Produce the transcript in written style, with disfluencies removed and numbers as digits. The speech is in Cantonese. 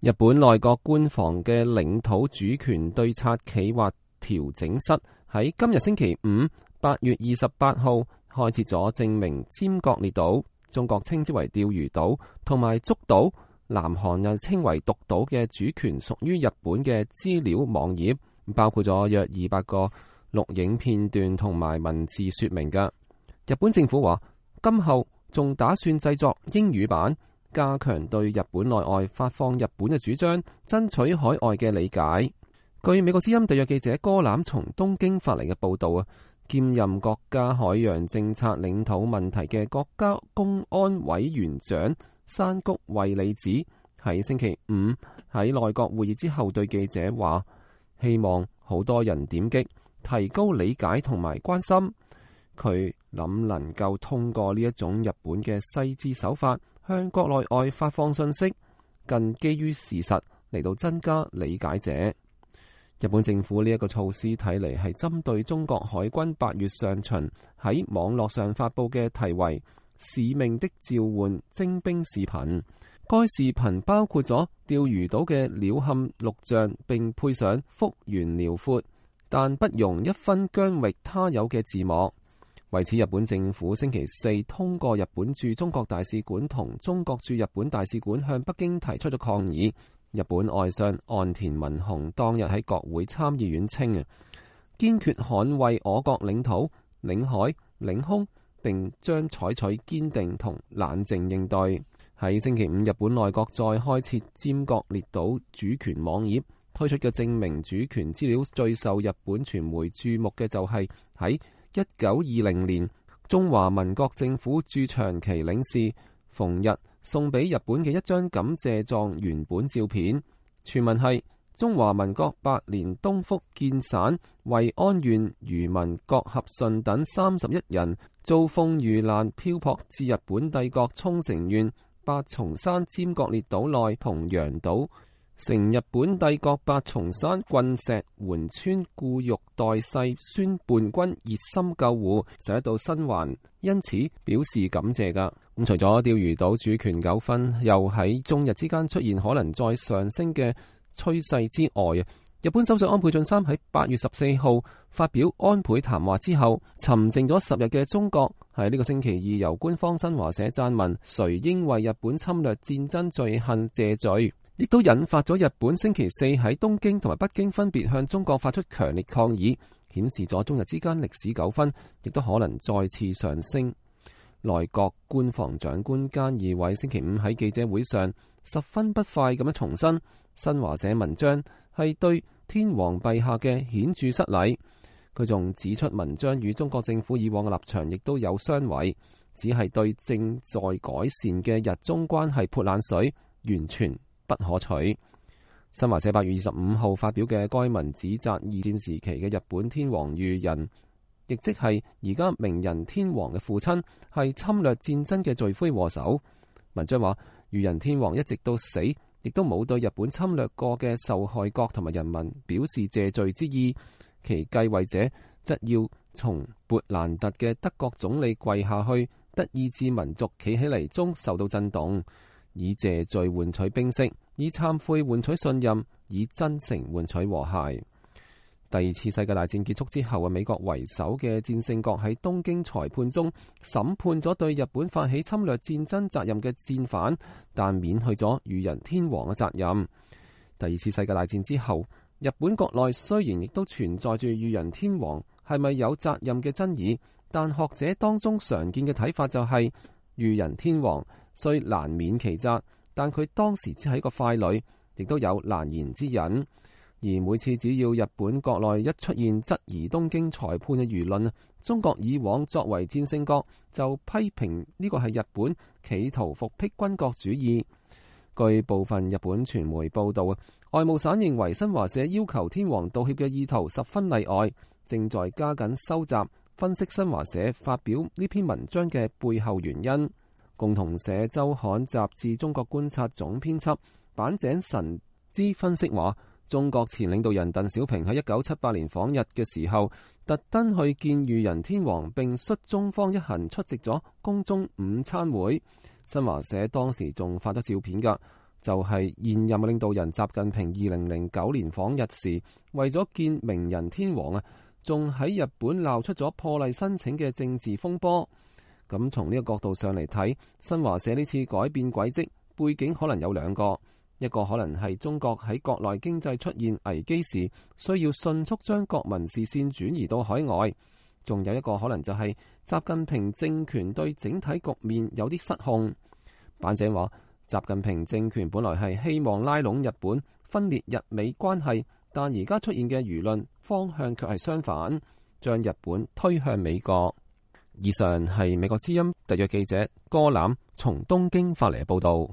日本內閣官房嘅領土主權對策企劃調整室喺今日星期五8月28號開設咗證明尖閣列島，中國稱之為釣魚島，同埋竹島，南韓又稱為獨島嘅主權屬於日本嘅資料網頁，包括咗約200個錄影片段同埋文字說明嘅。日本政府話，今後仲打算製作英語版，加強對日本內外發放日本嘅主張，爭取海外嘅理解。據美國之音特約記者柯攬從東京發嚟嘅報道啊，兼任國家海洋政策領土問題嘅國家公安委員長山谷惠里子喺星期五喺內閣會議之後對記者話，希望好多人點擊，提高理解同埋關心。佢諗能夠通過呢一種日本嘅細緻手法，向國內外發放信息，更基於事實嚟到增加理解者。日本政府呢一個措施睇嚟係針對中國海軍8月上旬喺網絡上發佈嘅題為《使命的召喚》徵兵視頻。該視頻包括咗釣魚島嘅鳥瞰錄像，並配上幅員遼闊但不容一分疆域他有嘅字幕。為此，日本政府星期四通過日本駐中國大使館同中國駐日本大使館向北京提出咗抗議。日本外相岸田文雄當日喺國會參議院稱啊，堅決捍衛我國領土、領海、領空，並將採取堅定同冷靜應對。喺星期五，日本內閣再開設尖閣列島主權網頁，推出嘅證明主權資料最受日本傳媒注目嘅就係喺1920年，中華民國政府駐長崎領事馮日送俾日本嘅一張感謝狀原本照片，全文係中華民國8年東福建省惠安縣漁民郭合順等31人遭風遇難漂泊至日本帝國沖繩縣八重山尖閣列島內同洋島，成日本帝國八重山郡石垣村固玉代世孫叛軍熱心救護，使得到生還，因此表示感謝噶。咁除咗釣魚島主權糾紛又喺中日之間出現可能再上升嘅趨勢之外啊，日本首相安倍晉三喺8月14號發表安倍談話之後，沉靜咗10日嘅中國喺呢個星期二由官方新華社撰文，誰應為日本侵略戰爭罪行謝罪，亦都引發咗日本星期四喺東京同埋北京分別向中國發出強烈抗議，顯示咗中日之間歷史糾紛亦都可能再次上升。內閣官房長官菅義偉星期五喺記者會上十分不快咁樣重申，新華社文章係對天皇陛下嘅顯著失禮。佢仲指出，文章與中國政府以往嘅立場亦都有相違，只係對正在改善嘅日中關係潑冷水，完全不可取。新華社8月25號發表嘅該文指責二戰時期嘅日本天皇裕仁，亦即係而家明仁天皇嘅父親，係侵略戰爭嘅罪魁禍首。文章話，裕仁天皇一直到死，亦都冇對日本侵略過嘅受害國同埋人民表示謝罪之意，其繼位者則要從勃蘭特嘅德國總理跪下去，德意志民族企起嚟中受到震動，以謝罪換取冰釋，以懺悔換取信任，以真誠換取和諧。第二次世界大戰結束之後，美國為首嘅戰勝國喺東京裁判中審判咗對日本發起侵略戰爭責任嘅戰犯，但免去咗裕仁天皇嘅責任。第二次世界大戰之後，日本國內雖然亦都存在住裕仁天皇係咪有責任嘅爭議，但學者當中常見嘅睇法就係，裕仁天皇雖難免其責，但佢當時只係一個傀儡，亦都有難言之隱。而每次只要日本國內一出現質疑東京裁判嘅輿論，中國以往作為戰勝國就批評呢個係日本企圖復辟軍國主義。據部分日本傳媒報道，外務省認為新華社要求天皇道歉嘅意圖十分例外，正在加緊收集分析新華社發表呢篇文章嘅背後原因。共同社周刊雜誌中國觀察總編輯坂井神之分析話，中國前領導人鄧小平喺1978年訪日嘅時候，特登去見裕仁天皇，並率中方一行出席咗宮中午餐會。新華社當時仲發咗照片㗎，就係現任領導人習近平2009年訪日時，為咗見明仁天皇啊，仲喺日本鬧出咗破例申請嘅政治風波。咁從呢個角度上嚟睇，新華社呢次改變軌跡背景可能有兩個，一個可能係中國喺國內經濟出現危機時，需要迅速將國民視線轉移到海外，仲有一個可能就係習近平政權對整體局面有啲失控。版者話，習近平政權本來係希望拉攏日本，分裂日美關係，但而家出現嘅輿論方向卻係相反，將日本推向美國。以上係美國之音特約記者歌欖從東京發嚟嘅報道。